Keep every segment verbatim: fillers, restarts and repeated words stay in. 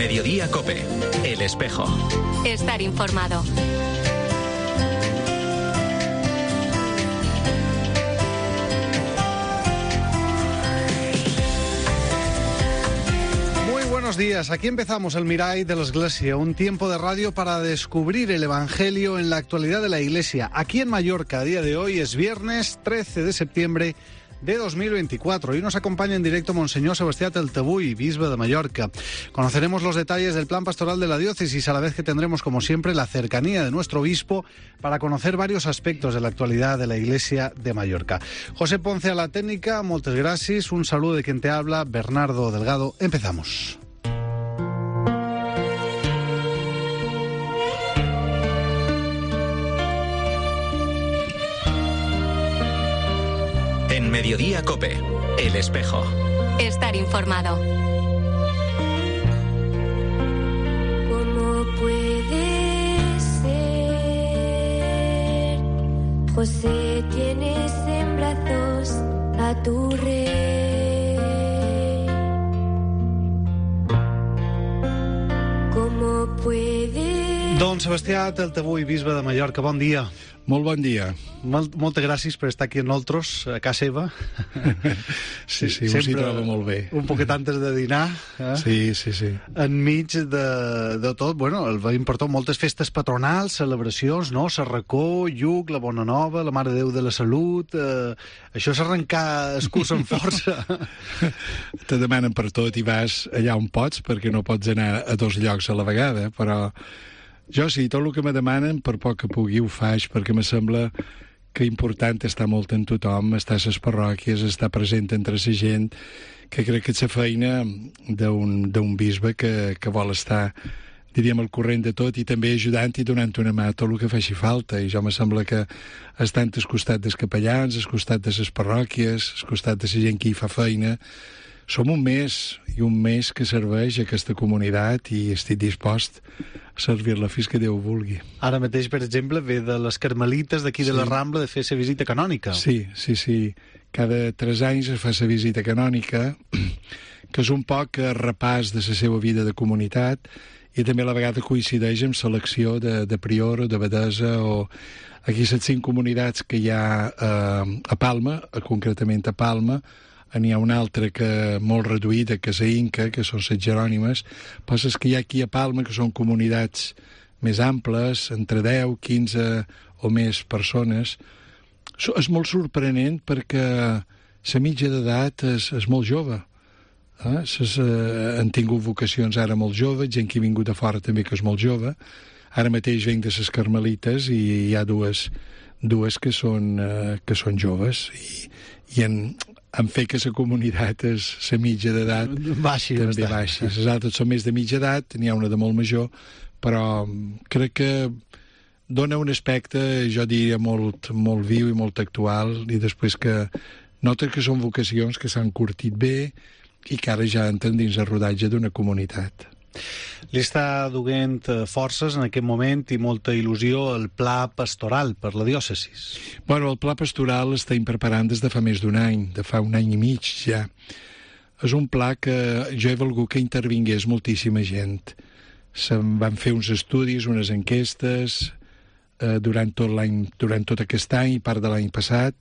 Mediodía COPE, El Espejo. Estar informado. Buenos días, aquí empezamos el Mirai de la Iglesia, un tiempo de radio para descubrir el Evangelio en la actualidad de la Iglesia. Aquí en Mallorca, a día de hoy es viernes trece de septiembre de dos mil veinticuatro. Hoy nos acompaña en directo Monseñor Sebastià Teltebuy, bisbe de Mallorca. Conoceremos los detalles del plan pastoral de la diócesis, a la vez que tendremos, como siempre, la cercanía de nuestro obispo para conocer varios aspectos de la actualidad de la Iglesia de Mallorca. José Ponce a la técnica, moltes gràcies. Un saludo de quien te habla, Bernardo Delgado. Empezamos. En Mediodía COPE, El Espejo. Estar informado. ¿Cómo puede ser? José, tienes en brazos a tu rey. ¿Cómo puede? Don Sebastià Teltebuy, bisbe de Mallorca, bon dia. Molt bon dia. Molt, moltes gràcies per estar aquí amb nosaltres, a casa seva. Sí, sí, ho s'hi troba molt bé. Un poquet antes de dinar. Eh? Sí, sí, sí. Enmig de, de tot, bueno, el veïn per tot, moltes festes patronals, celebracions, no? Sarracó, Lluc, la Bona Nova, la Mare de Déu de la Salut... Eh, això és arrencar el curs amb força. Te demanen per tot i vas allà on pots, perquè no pots anar a dos llocs a la vegada, però... Jo sí, tot el que me demanen, per poc que pugui, ho faig, perquè me sembla que important estar molt en tothom, estar a les parròquies, estar present entre la gent, que crec que és la feina d'un bisbe que, que vol estar, diríem, al corrent de tot i també ajudant i donant una mà a tot el que faci falta. I jo me sembla que estant al costat dels capellans, al costat de les parròquies, al costat de la gent que hi fa feina, som un mes, i un mes que serveix a aquesta comunitat i estic dispost a servir-la fins que Déu vulgui. Ara mateix, per exemple, ve de les Carmelites d'aquí sí. de la Rambla de fer la visita canònica. Sí, sí, sí. Cada tres anys es fa la visita canònica, que és un poc repàs de la seva vida de comunitat i també a la vegada coincideix amb selecció de, de prior o de abadesa o aquí les cinc comunitats que hi ha eh, a Palma, concretament a Palma. N'hi ha una altra que molt reduïda, que és a Inca, que són les Jerònimes, però és que hi ha aquí a Palma, que són comunitats més amples, entre deu, quinze o més persones. És molt sorprenent perquè la mitja d'edat és, és molt jove. Eh? Ses, eh, han tingut vocacions ara molt joves, gent que ha vingut de fora també que és molt jove. Ara mateix venc de les Carmelites i hi ha dues, dues que, són, eh, que són joves i, i en... en fer que la comunitat és la mitja d'edat baixi, també baixi. Les altres són més de mitja edat, n'hi ha una de molt major, però crec que dona un aspecte, jo diria, molt, molt viu i molt actual, i després que nota que són vocacions que s'han curtit bé i que ara ja entren dins el rodatge d'una comunitat. Li està duent forces en aquest moment i molta il·lusió el pla pastoral per la diòcesis. Bueno, el pla pastoral l'estem preparant des de fa més d'un any, de fa un any i mig ja. És un pla que jo he volgut que intervingués moltíssima gent. Se'n van fer uns estudis, unes enquestes eh, durant tot l'any, durant tot aquest any i part de l'any passat.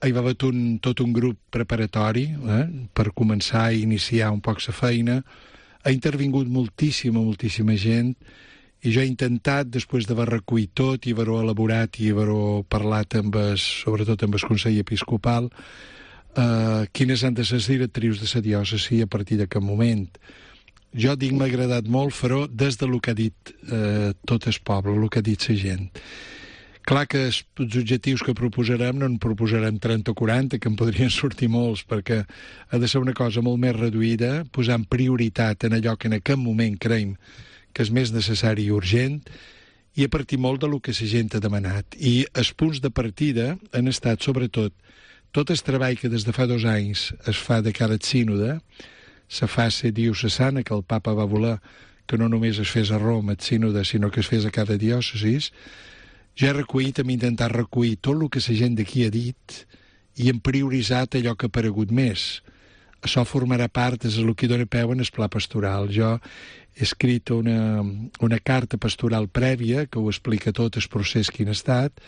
Hi va haver un, tot un grup preparatori eh, per començar a iniciar un poc la feina. Ha intervingut moltíssima, moltíssima gent i jo he intentat, després d'haver recollit tot i haver-ho elaborat i haver-ho parlat amb es, sobretot amb el Consell Episcopal, eh, quines han de ser les directrius de la diòcesi a partir d'aquest moment. Jo dic, m'ha agradat molt fer-ho des del que ha dit eh, tot el poble, el que ha dit la gent. Clar que els objectius que proposarem no en proposarem trenta o quaranta, que en podrien sortir molts, perquè ha de ser una cosa molt més reduïda, posant prioritat en allò que en aquest moment creiem que és més necessari i urgent, i a partir molt de lo que la gent ha demanat. I els punts de partida han estat, sobretot, tot el treball que des de fa dos anys es fa de cara al sínode, la fase diocesana que el papa va voler que no només es fes a Roma, el sínode, sinó que es fes a cada diòcesis. Jo he recollit, hem intentat recollir tot el que la gent d'aquí ha dit i hem prioritzat allò que ha aparegut més. això formarà part, és el que dona peu en el pla pastoral. Jo he escrit una, una carta pastoral prèvia que ho explica tot el procés quin ha estat,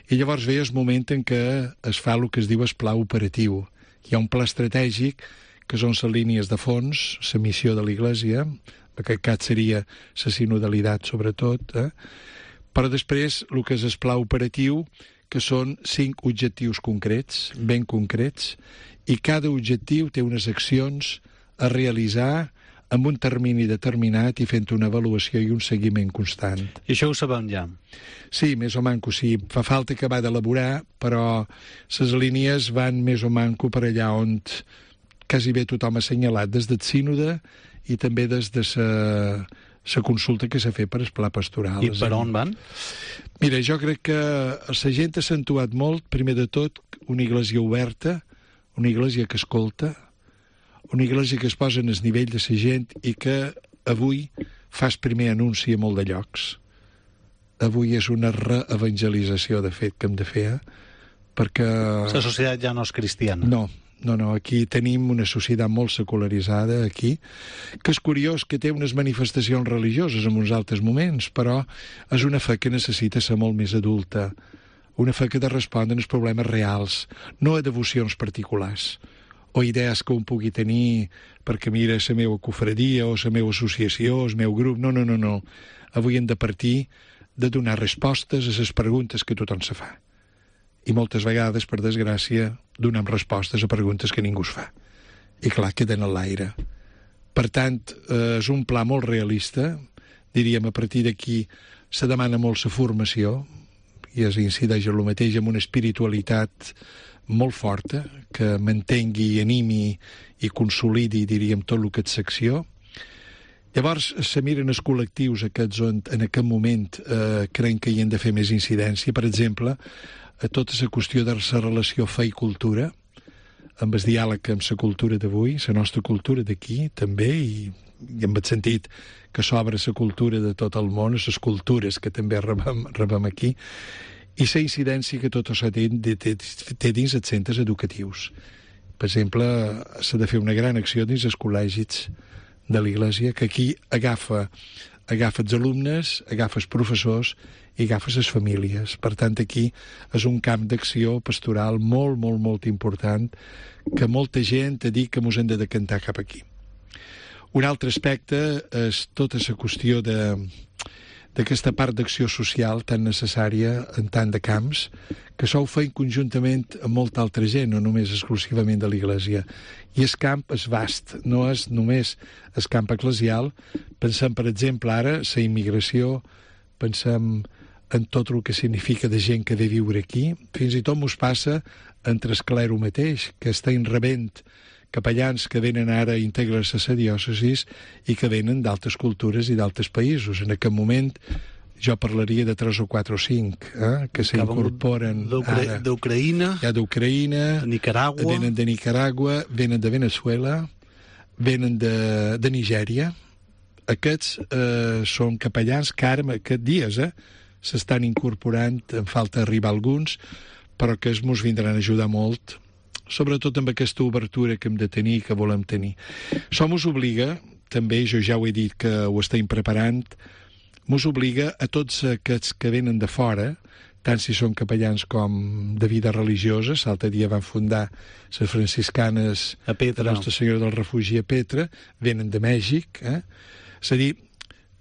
i llavors ve el moment en què es fa el que es diu el pla operatiu. Hi ha un pla estratègic que són les línies de fons, la missió de l'Església, en aquest cas seria la sinodalitat sobretot, eh? Però després el que és el pla operatiu, que són cinc objectius concrets, ben concrets, i cada objectiu té unes accions a realitzar amb un termini determinat i fent una avaluació i un seguiment constant. I això ho sabem ja? Sí, més o manco, sí. Fa falta acabar d'elaborar, però les línies van més o manco per allà on quasi bé tothom ha assenyalat, des del sínode i també des de la la consulta que s'ha fet per el pla pastoral. I per on van? Mira, jo crec que la gent ha accentuat molt, primer de tot, una iglesia oberta, una iglesia que escolta, una iglesia que es posa en el nivell de la gent i que avui fa el primer anunci a molt de llocs. Avui és una reevangelització, de fet, que hem de fer, eh? Perquè... La societat ja no és cristiana. No, no, no, aquí tenim una societat molt secularitzada, aquí, que és curiós que té unes manifestacions religioses en uns altres moments, però és una fe que necessita ser molt més adulta, una fe que ha de respondre als problemes reals, no a devocions particulars, o idees que un pugui tenir perquè mira la meva cofradia o la meva associació, el meu grup. No, no, no, no. Avui hem de partir de donar respostes a les preguntes que tothom se fa. I moltes vegades, per desgràcia, donem respostes a preguntes que ningú es fa. I clar, queden a l'aire. Per tant, eh, és un pla molt realista. Diríem, a partir d'aquí se demana molt la formació, i es incideix en el mateix, amb una espiritualitat molt forta, que mantengui, animi i consolidi, diríem, tot el que és secció. Llavors, se miren els col·lectius aquests on en aquest moment eh, creiem que hi han de fer més incidència. Per exemple, a tota la qüestió de la relació fe i cultura, amb el diàleg amb la cultura d'avui, la nostra cultura d'aquí també, i, i en el sentit que s'obre la cultura de tot el món, les cultures que també rebem, rebem aquí, i la incidència que tot això té, té, té dins els centres educatius. Per exemple, s'ha de fer una gran acció dins els col·legis de l'Església, que aquí agafa, agafa els alumnes, agafa els professors i agafa les famílies. Per tant, aquí és un camp d'acció pastoral molt, molt, molt important, que molta gent ha dit que mos hem de decantar cap aquí. Un altre aspecte és tota la qüestió de d'aquesta part d'acció social tan necessària en tant de camps, que s'ho feien conjuntament amb molta altra gent, no només exclusivament de l'Església. I el camp és vast, no és només el camp eclesial. Pensem, per exemple, ara, la immigració, pensem en tot el que significa de gent que ve a viure aquí. Fins i tot mos passa entre el clero mateix, que estan rebent capellans que venen ara a integrar-se a la diòcesis i que venen d'altres cultures i d'altres països. En aquest moment jo parlaria de tres o quatre o cinc eh, que s'incorporen ara. D'Ucraïna, ja d'Ucraïna, de Nicaragua, venen de Nicaragua, venen de Venezuela, venen de, de Nigèria. Aquests eh, són capellans que ara, aquests dies, eh, s'estan incorporant, en falta arribar alguns, però que es mos vindran a ajudar molt, sobretot amb aquesta obertura que hem de tenir i que volem tenir. Això mos obliga, també, jo ja ho he dit que ho estem preparant, mos obliga a tots aquests que venen de fora, tant si són capellans com de vida religiosa. L'altre dia van fundar les franciscanes a Petra, de Nostra Senyora del Refugi a Petra, venen de Mèxic, eh? És a dir,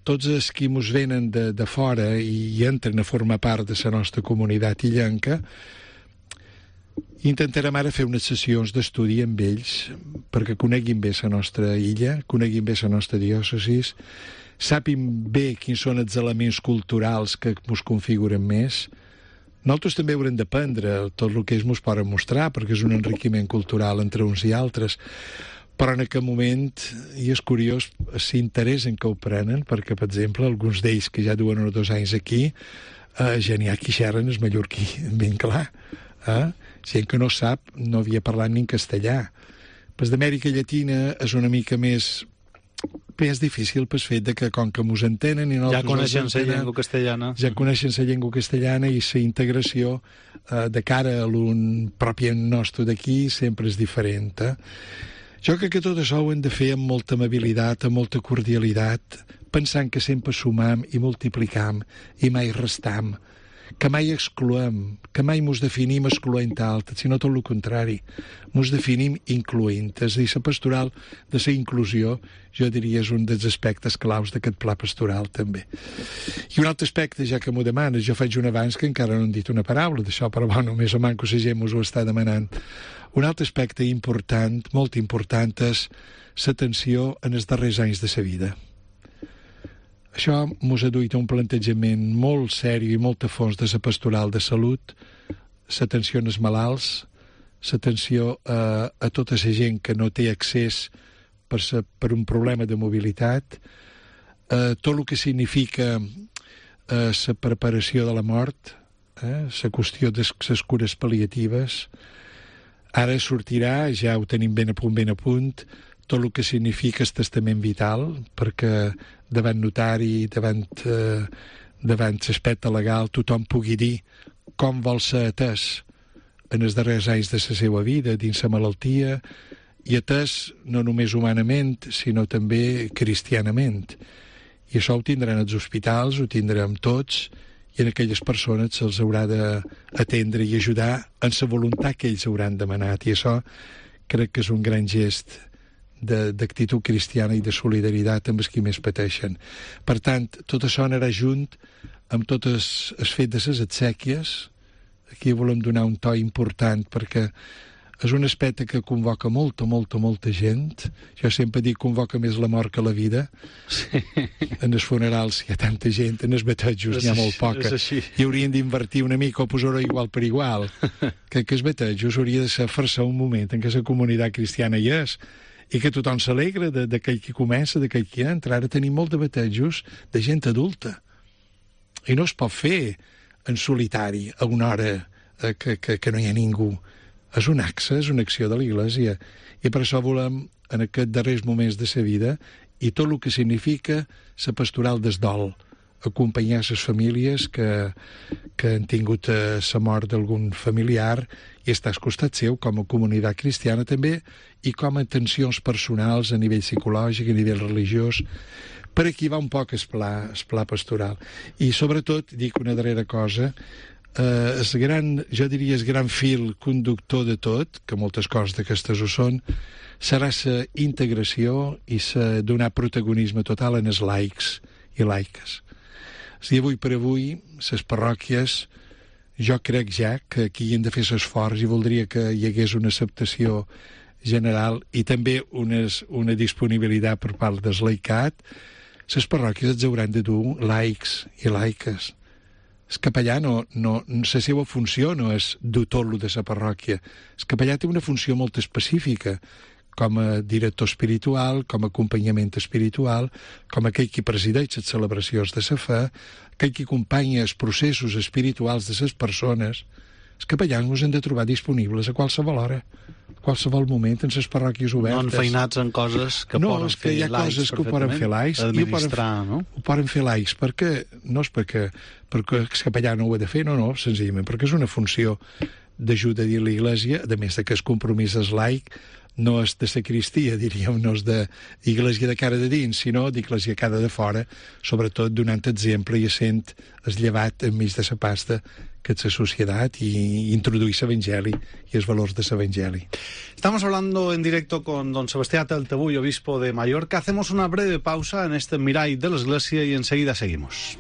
tots els que mos venen de, de fora i entren a formar part de la nostra comunitat illenca, intentarem ara fer unes sessions d'estudi amb ells perquè coneguin bé la nostra illa, coneguin bé la nostra diòcesis, sàpim bé quins són els elements culturals que ens configuren més. Nosaltres també haurem d'aprendre tot el que ells ens poden mostrar, perquè és un enriquiment cultural entre uns i altres, però en aquest moment, i és curiós, s'interessen que ho prenen, perquè, per exemple, alguns d'ells que ja duen uns dos anys aquí, eh, ja n'hi ha qui xerren el mallorquí, ben clar, eh? Gent que no sap, no havia parlat ni en castellà. Pues d'Amèrica Llatina és una mica més més difícil pel fet de que com que mos entenen i ja coneixen la llengua castellana ja coneixen la llengua castellana i la integració eh, de cara a l'un propi nostre d'aquí sempre és diferent. Eh? Jo crec que tot això ho hem de fer amb molta amabilitat, amb molta cordialitat, pensant que sempre sumam i multiplicam i mai restam, que mai excloem, que mai mos definim excloent altres, sinó tot el contrari. Mos definim incloent. És a dir, la pastoral de la inclusió, jo diria, és un dels aspectes claus d'aquest pla pastoral, també. I un altre aspecte, ja que m'ho demanes, jo faig un abans que encara no hem dit una paraula d'això, però bo, només o manco la gent mos ho està demanant. Un altre aspecte important, molt important, és l'atenció en els darrers anys de la vida. Això mos ha duit a un plantejament molt seri i molt a fons de la pastoral de salut, l'atenció als malalts, l'atenció a, a tota la gent que no té accés per, sa, per un problema de mobilitat, eh, tot el que significa eh, la preparació de la mort, eh, la qüestió de les cures pal·liatives. Ara sortirà, ja ho tenim ben a punt, ben a punt, tot el que significa el testament vital, perquè davant notari, davant, eh, davant l'aspecte legal, tothom pugui dir com vol ser atès en els darrers anys de la seva vida, dins la malaltia, i atès no només humanament, sinó també cristianament. I això ho tindran els hospitals, ho tindrem tots, i en aquelles persones se'ls haurà d'atendre i ajudar en la voluntat que ells hauran demanat. I això crec que és un gran gest d'actitud cristiana i de solidaritat amb els qui més pateixen. Per tant, tot això anarà junt amb tot el, el fet de les exèquies. Aquí volem donar un to important perquè és un aspecte que convoca molta, molta, molta gent. Jo sempre dic convoca més la mort que la vida. Sí. En els funerals hi ha tanta gent, en els batejos n'hi ha molt poca. I haurien d'invertir una mica o posar-ho igual per igual. Que, que els batejos hauria de ser forçar un moment en què la comunitat cristiana hi és i que tothom s'alegra d'aquell que comença, d'aquell que entra. Ara tenim molt de batejos de gent adulta. I no es pot fer en solitari a una hora eh, que, que, que no hi ha ningú. És un axe, és una acció de l'Església. I per això volem, en aquests darrers moments de sa vida, i tot el que significa la pastoral des dol, acompanyar les famílies que, que han tingut eh, la mort d'algun familiar i estar al costat seu com a comunitat cristiana també i com a atencions personals a nivell psicològic, a nivell religiós. Per aquí va un poc el pla, el pla pastoral. I sobretot, dic una darrera cosa, eh, el gran, jo diria el gran fil conductor de tot, que moltes coses d'aquestes ho són, serà la integració i la donar protagonisme total en els laics i laiques. Si avui per avui, les parròquies, jo crec ja que aquí hi hem de fer l'esforç i voldria que hi hagués una acceptació general i també unes, una disponibilitat per part del laicat. Les parròquies els hauran de dur laics i laiques. El capellà no, no, la seva funció no és dur tot lo de la parròquia. El capellà té una funció molt específica, com a director espiritual, com a acompanyament espiritual, com aquell qui presideix les celebracions de la fe, aquell qui acompanya els processos espirituals de les persones. Els capellans ens hem de trobar disponibles a qualsevol hora, a qualsevol moment, en les parròquies obertes. No enfeinats en coses que no, poden fer laics. No, és que hi ha coses que ho poden fer laics. Administrar, ho poden, no? Ho poden fer laics, perquè, no és perquè, perquè el capellà no ho ha de fer, no, no, senzillament, perquè és una funció d'ajuda de l'Església, a més de que el compromís és laic, no és de sacristia, diríem, no és d'Església de cara de dins, sinó d'Església cara de fora, sobretot donant exemple i essent el llevat enmig de la pasta que és la societat y introduir l'Evangeli y els valors de l'Evangeli. Estamos hablando en directo con don Sebastián Taltebull, obispo de Mallorca. Hacemos una breve pausa en este Mirall de la Iglesia y enseguida seguimos.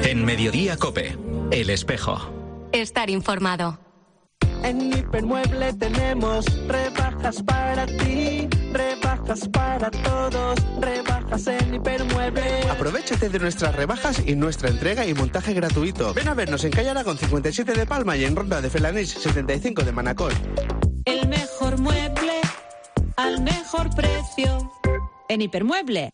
En Mediodía COPE, El Espejo. Estar informado. En Hipermueble tenemos rebajas para ti, rebajas para todos, rebajas en Hipermueble. Aprovéchate de nuestras rebajas y nuestra entrega y montaje gratuito. Ven a vernos en calle Aragón cincuenta y siete de Palma y en Ronda de Felanés setenta y cinco de Manacor. El mejor mueble al mejor precio en Hipermueble.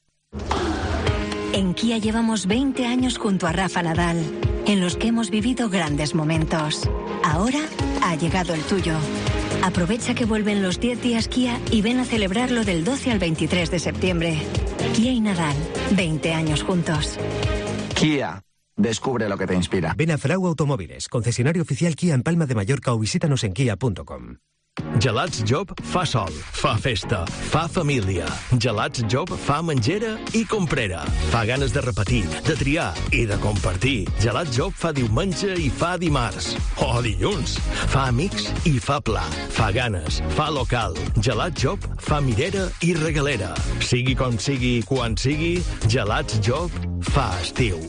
En Kia llevamos veinte años junto a Rafa Nadal, en los que hemos vivido grandes momentos. Ahora ha llegado el tuyo. Aprovecha que vuelven los diez días Kia y ven a celebrarlo del doce al veintitrés de septiembre. Kia y Nadal, veinte años juntos. Kia, Descubre lo que te inspira. Ven a Frau Automóviles, concesionario oficial Kia en Palma de Mallorca o visítanos en kia punto com. Gelats Job fa sol, fa festa, fa família. Gelats Job fa menjera i comprera. Fa ganes de repetir, de triar i de compartir. Gelats Job fa diumenge i fa dimarts. O dilluns. Fa amics i fa pla. Fa ganes, fa local. Gelats Job fa mirera i regalera. Sigui com sigui i quan sigui, Gelats Job fa estiu.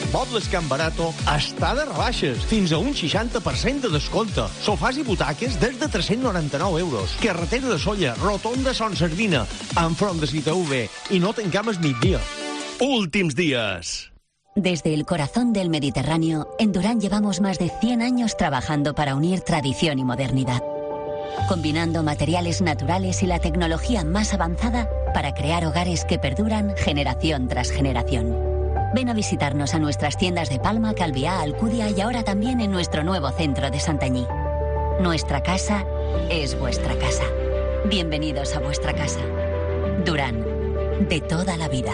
Mobles Can Barato està de rebaixes, fins a un seixanta per cent de descompte. Sofàs i butaques des de tres-cents noranta-nou euros. Carretera de Solla, rotonda Son Sardina, enfront de Cita V. I no tancam el migdia. Últims días. Desde el corazón del Mediterráneo, en Durán llevamos más de cien años trabajando para unir tradición y modernidad, combinando materiales naturales y la tecnología más avanzada para crear hogares que perduran generación tras generación. Ven a visitarnos a nuestras tiendas de Palma, Calviá, Alcudia y ahora también en nuestro nuevo centro de Santanyí. Nuestra casa es vuestra casa. Bienvenidos a vuestra casa. Durán, de toda la vida.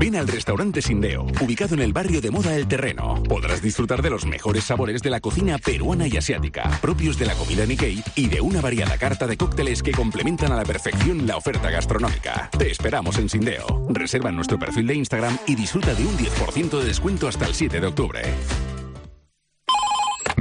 Ven al restaurante Sindeo, ubicado en el barrio de moda El Terreno. Podrás disfrutar de los mejores sabores de la cocina peruana y asiática, propios de la comida Nikkei y de una variada carta de cócteles que complementan a la perfección la oferta gastronómica. Te esperamos en Sindeo. Reserva en nuestro perfil de Instagram y disfruta de un diez por ciento de descuento hasta el siete de octubre.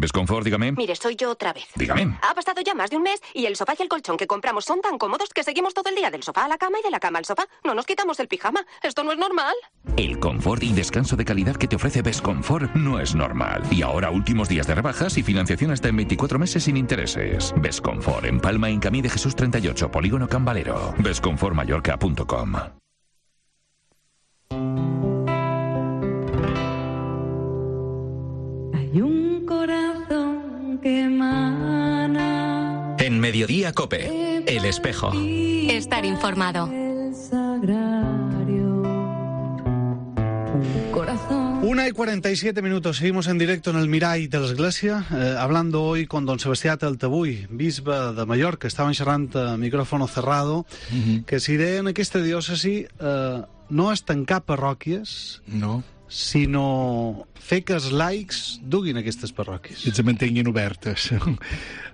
Besconfort, dígame. Mire, soy yo otra vez. Dígame. Ha pasado ya más de un mes y el sofá y el colchón que compramos son tan cómodos que seguimos todo el día del sofá a la cama y de la cama al sofá. No nos quitamos el pijama. Esto no es normal. El confort y descanso de calidad que te ofrece Besconfort no es normal. Y ahora últimos días de rebajas y financiación hasta en veinticuatro meses sin intereses. Besconfort en Palma, en Camí de Jesús treinta y ocho, Polígono Cambalero. besconfort mallorca punto com. Hay un corazón que emana. En Mediodía Cope, El Espejo. Estar informado. El sagrario. Un corazón. Una y cuarenta y siete minutos, seguimos en directo en el Mirall de l'Església, eh, hablando hoy con don Sebastià Taltabull, bisbe de Mallorca. Estaven xerrant a micrófono cerrado, uh-huh. que si deien aquesta diòcesi eh, no és tancar parròquies, no, sinó fer que els laics duguin aquestes parròquies. I se mantinguin obertes.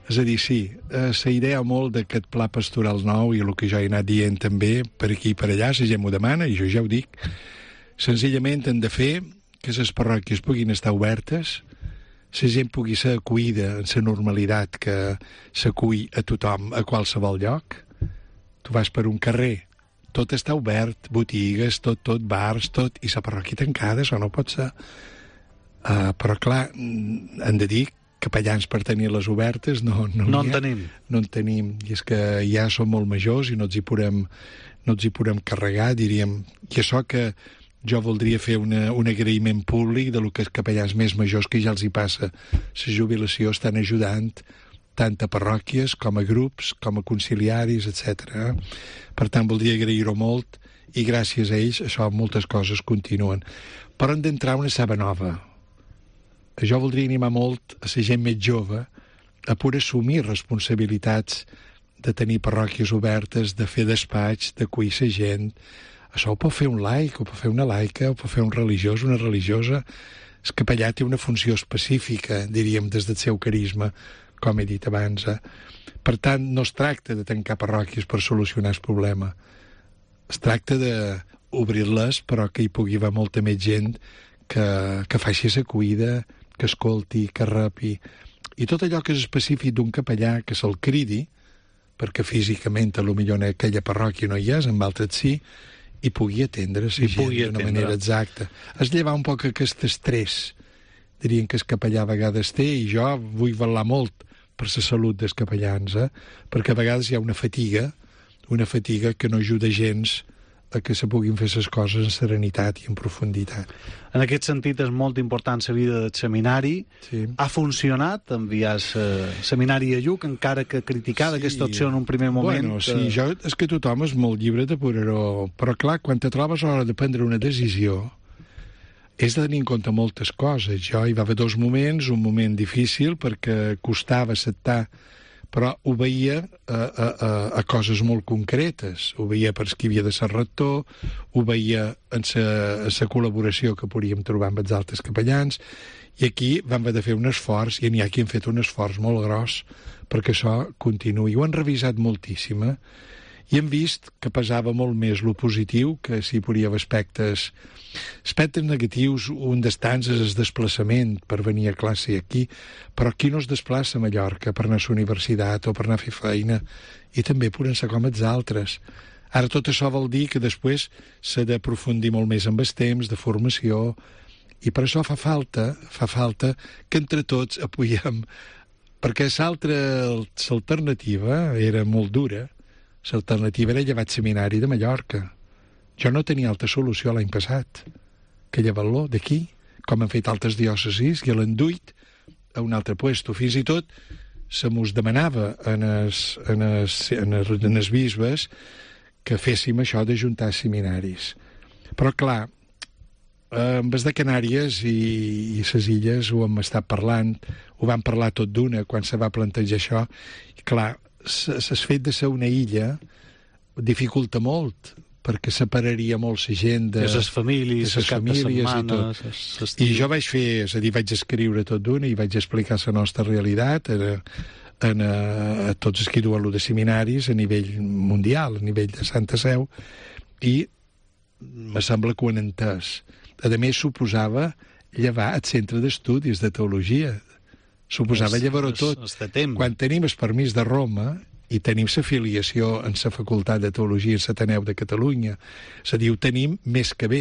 És a dir, sí, eh, la idea molt d'aquest pla pastoral nou i el que jo he anat dient també per aquí i per allà, la gent m'ho demana i jo ja ho dic, senzillament hem de fer que les parròquies puguin estar obertes, la gent pugui ser acollida en la normalitat que s'acull a tothom a qualsevol lloc. Tu vas per un carrer, tot està obert, botigues, tot, tot, bars, tot, i la parròquia tancada, això no pot ser. Uh, però, clar, hem de dir capellans per tenir-les obertes no, no, no en ha, tenim. No en tenim, i és que ja som molt majors i no ens hi podem, no ens hi podem carregar, diríem. I això que jo voldria fer una, un agraïment públic de lo que els capellans més majors que ja els hi passa la jubilació estan ajudant tant a parròquies com a grups, com a conciliaris, etcètera. Per tant, voldria agrair-ho molt i gràcies a ells això moltes coses continuen. Però hem d'entrar una saba nova. Jo voldria animar molt a la gent més jove a poder assumir responsabilitats de tenir parròquies obertes, de fer despatx, d'acollir la gent. Això ho pot fer un laic, ho pot fer una laica, ho pot fer un religiós, una religiosa. El capellà té una funció específica, diríem, des del seu carisma, com he dit abans. Eh? Per tant, no es tracta de tancar parròquies per solucionar el problema. Es tracta d'obrir-les, però que hi pugui haver molta més gent que, que faci l'acollida, que escolti, que repi. I tot allò que és específic d'un capellà, que se'l cridi, perquè físicament a lo millor en aquella parròquia no hi és, en altres sí, i pugui atendre la gent d'una manera exacta. Es llevar un poc aquest estrès, dirien que el capellà a vegades té, i jo vull velar molt per la salut dels capellans, eh? Perquè a vegades hi ha una fatiga, una fatiga que no ajuda gens a que se puguin fer les coses en serenitat i en profunditat. En aquest sentit és molt important la vida del seminari. Sí. Ha funcionat enviar el seminari a Lluc, encara que criticada sí. aquesta opció en un primer moment. Bueno, que... sí, jo, és que tothom és molt llibre de poder-ho... Però clar, quan te trobes a l'hora de prendre una decisió, és de tenir en compte moltes coses. Jo hi va haver dos moments, un moment difícil perquè costava acceptar però ho veia a, a, a, a coses molt concretes. Ho veia per qui havia de ser rector, ho veia en la col·laboració que podíem trobar amb els altres capellans, i aquí vam haver de fer un esforç, i n'hi ha qui han fet un esforç molt gros perquè això continuï. Ho han revisat moltíssim, eh? I hem vist que pesava molt més lo positiu, que si hi podia haver aspectes, aspectes negatius. Un d'estants és el desplaçament per venir a classe aquí, però qui no es desplaça a Mallorca per anar a la universitat o per anar a fer feina, i també poden ser com els altres. Ara tot això vol dir que després s'ha d'aprofundir molt més amb el temps de formació, i per això fa falta, fa falta que entre tots apoyem, perquè l'altra alternativa era molt dura. L'alternativa era llevar el seminari de Mallorca. Jo no tenia altra solució l'any passat que llevar-lo d'aquí, com han fet altres diòcesis, i l'han duit a un altre puesto. Fins i tot se mos demanava en els, en els, en els, en els bisbes que féssim això d'ajuntar seminaris. Però, clar, amb els de Canàries i, i les illes ho hem estat parlant, ho vam parlar tot d'una quan se va plantejar això, i clar, el fet de ser una illa dificulta molt, perquè separaria molt la gent de les famílies, les famílies i tot. Es, I jo vaig fer, és a dir, vaig escriure tot d'una i vaig explicar la nostra realitat a, a, a tots els que duen-lo de seminaris a nivell mundial, a nivell de Santa Seu, i me sembla que ho han entès. A més, suposava llevar el centre d'estudis de teologia. Suposava llevar-ho tot. Quan tenim el permís de Roma i tenim l'afiliació en la Facultat de Teologia en l'Ateneu de Catalunya, és a dir, ho tenim més que bé.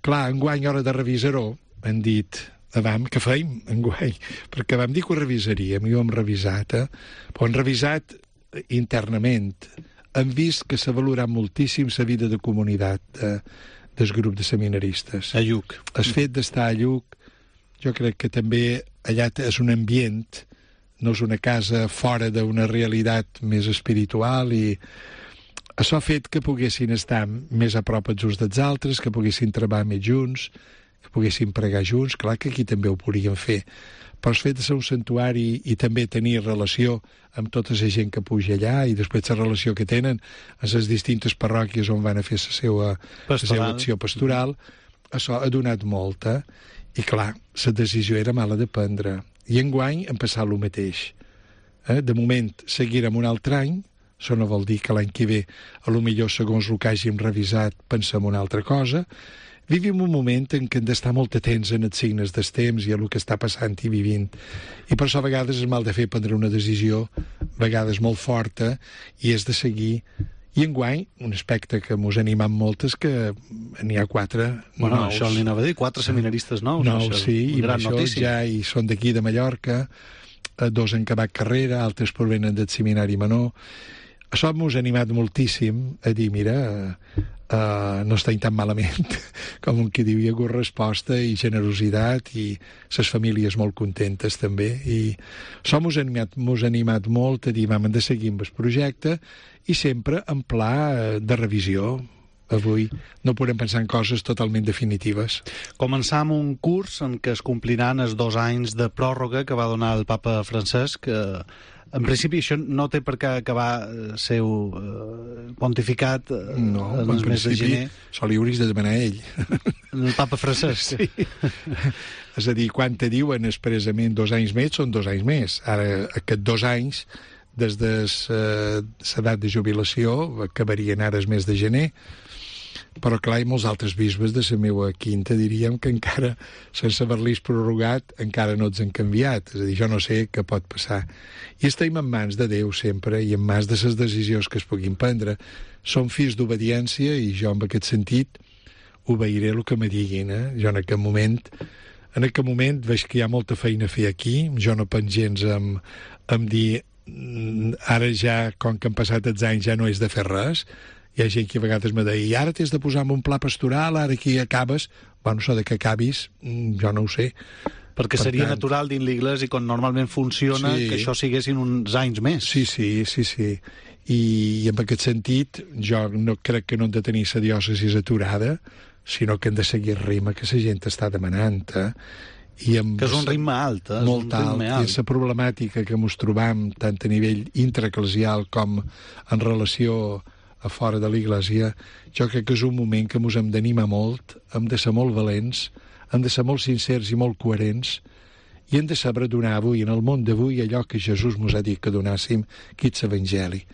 Clar, enguany, a hora de revisar-ho, han dit, avam, què feim, enguany? Perquè vam dir que ho revisaríem, i ho hem revisat, eh? Però hem revisat internament. Hem vist que s'ha valorat moltíssim la vida de comunitat de, del grup de seminaristes. A Lluc. El fet d'estar a Lluc, jo crec que també allà és un ambient, no és una casa fora d'una realitat més espiritual, i això ha fet que poguessin estar més a prop els uns dels altres, que poguessin treballar més junts, que poguessin pregar junts. Clar que aquí també ho podríem fer, però el fet de ser un santuari i també tenir relació amb tota la gent que puja allà, i després la relació que tenen a les distintes parròquies on van a fer la seva, la seva acció pastoral, això ha donat molta. I clar, la decisió era mala de prendre. I enguany hem passat el mateix. Eh? De moment, seguirem un altre any. Això no vol dir que l'any que ve, a lo millor, segons el que hàgim revisat, pensem una altra cosa. Vivim un moment en què hem d'estar molt atents en els signes dels temps i a el que està passant i vivint. I per això a vegades és mal de fer prendre una decisió, a vegades molt forta, i és de seguir. I enguany, un aspecte que mos ha animat molt és que n'hi ha quatre bueno, nous. Això li anava a dir, quatre seminaristes nous. Nous, això, sí, i gran això notícia. ja hi són d'aquí de Mallorca, dos han acabat carrera, altres provenen del seminari menor. Això mos ha animat moltíssim a dir, mira, uh, no està tan malament, com un que diu, hi ha hagut resposta i generositat, i les famílies molt contentes també, i això mos ha animat, mos ha animat molt a dir, vam, hem de seguir amb el projecte, i sempre en pla de revisió. Avui no podem pensar en coses totalment definitives. Començar amb un curs en què es compliran els dos anys de pròrroga que va donar el papa Francesc. Que, en principi, això no té per què acabar el seu eh, pontificat eh, no, en el mes de gener. Això li hauries de demanar a ell. El papa Francesc. Sí. És a dir, quan te diuen expressament dos anys més, són dos anys més. Ara, aquests dos anys, des de l'edat de jubilació, acabarien ara el mes de gener, però clar, i molts altres bisbes de la meva quinta diríem que encara, sense haver-los prorrogat, encara no els han canviat. És a dir, jo no sé què pot passar. I estem en mans de Déu sempre, i en mans de les decisions que es puguin prendre. Som fills d'obediència, i jo en aquest sentit obeiré el que me diguin. Eh? Jo en aquest moment en aquest moment veig que hi ha molta feina a fer aquí. Jo no penso gens en, en dir ara ja, com que han passat els anys, ja no és de fer res. Hi ha gent que a vegades me deia, i ara t'has de posar en un pla pastoral, ara aquí acabes. Bueno, això de que acabis, jo no ho sé. Perquè per seria tant, natural dins l'Iglésia, i com normalment funciona, sí, que això siguessin uns anys més. Sí, sí, sí, sí. I, i en aquest sentit, jo no crec que no hem de tenir la diòcesi aturada, sinó que hem de seguir el ritme que la gent està demanant, eh? I amb que és un ritme alt, eh? Molt és un ritme alt. alt. I la problemàtica que ens trobam tant a nivell intraeclesial com en relació a fora de l'Iglésia, jo crec que és un moment que ens hem d'animar molt, hem de ser molt valents, hem de ser molt sincers i molt coherents, i hem de saber donar avui, en el món d'avui, allò que Jesús ens ha dit que donàssim, que és l'Evangeli.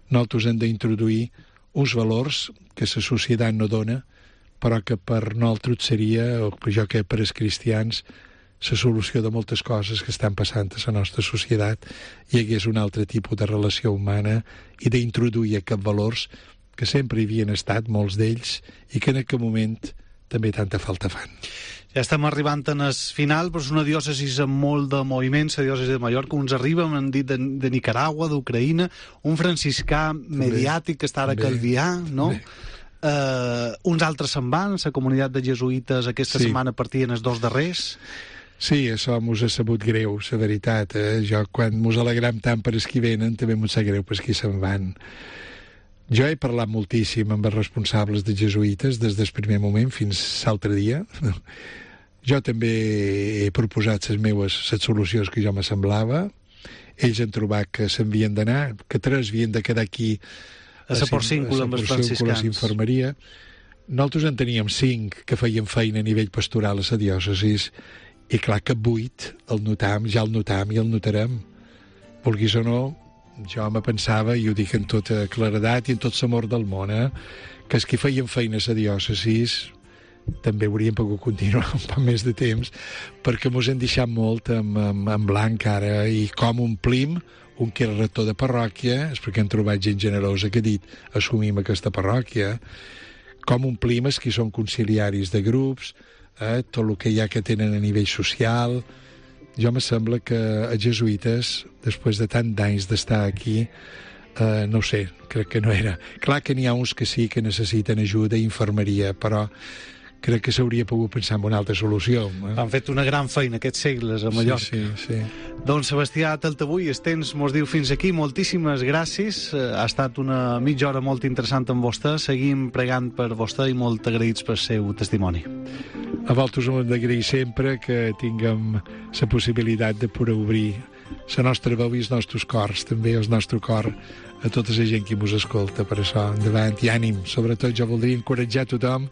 Nosaltres hem d'introduir uns valors que la societat no dona, però que per nosaltres seria, o jo que per als cristians, la solució de moltes coses que estan passant a la nostra societat, hi hagués un altre tipus de relació humana i d'introduir aquests valors que sempre hi havien estat, molts d'ells, i que en aquest moment també tanta falta fan. Ja estem arribant en el final, però és una diòcesi amb molt de moviment, la diòcesi de Mallorca. Uns arriben, m'han dit, de, de Nicaragua, d'Ucraïna, un franciscà mediàtic que està ara a Calvià, no? Uh, uns altres se'n van, la comunitat de jesuïtes aquesta sí. setmana partien els dos darrers. Sí, això mos ha sabut greu, la veritat. Eh? Jo, quan mos alegram tant per els qui venen, també mos sap greu per els qui se'n van. Jo he parlat moltíssim amb els responsables de jesuïtes des del primer moment fins l'altre dia. Jo també he proposat les meves les solucions que jo me semblava. Ells han trobat que s'havien d'anar, que tres havien de quedar aquí a la Porcíncula amb els franciscans. Infermeria. Nosaltres en teníem cinc que feien feina a nivell pastoral a la diòcesis, i clar que vuit el notam, ja el notam i el notarem. Vulguis o no, jo me pensava, i ho dic en tota claredat i en tot l'amor del món, eh, que els que feien feina a la diòcesis també haurien pogut continuar un poc més de temps, perquè mos hem deixat molt en, en, en blanc ara, i com omplim un que era rector de parròquia, és perquè hem trobat gent generosa que ha dit assumim aquesta parròquia, com omplim els que són conciliaris de grups, eh, tot el que hi ha que tenen a nivell social. Jo me sembla que els jesuïtes, després de tant d'anys d'estar aquí, eh, no ho sé, crec que no era. Clar que n'hi ha uns que sí que necessiten ajuda i infermeria, però crec que s'hauria pogut pensar en una altra solució. Eh? Han fet una gran feina aquests segles a Mallorca. Sí, sí, sí. Doncs Sebastià Taltabull, el temps mos diu fins aquí. Moltíssimes gràcies. Ha estat una mitja hora molt interessant amb vostè. Seguim pregant per vostè i molt agraïts pel seu testimoni. A vosaltres ho hem d'agrair sempre que tinguem la possibilitat de poder obrir la nostra veu i els nostres cors, també el nostre cor, a tota la gent que mos escolta. Per això, endavant i ànim. Sobretot jo voldria encoratjar tothom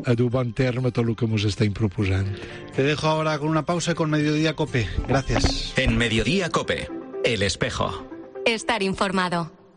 a dur bon terme tot el que nos estáis proposando. Te dejo ahora con una pausa con Mediodía Cope. Gracias. En Mediodía Cope, El Espejo. Estar informado.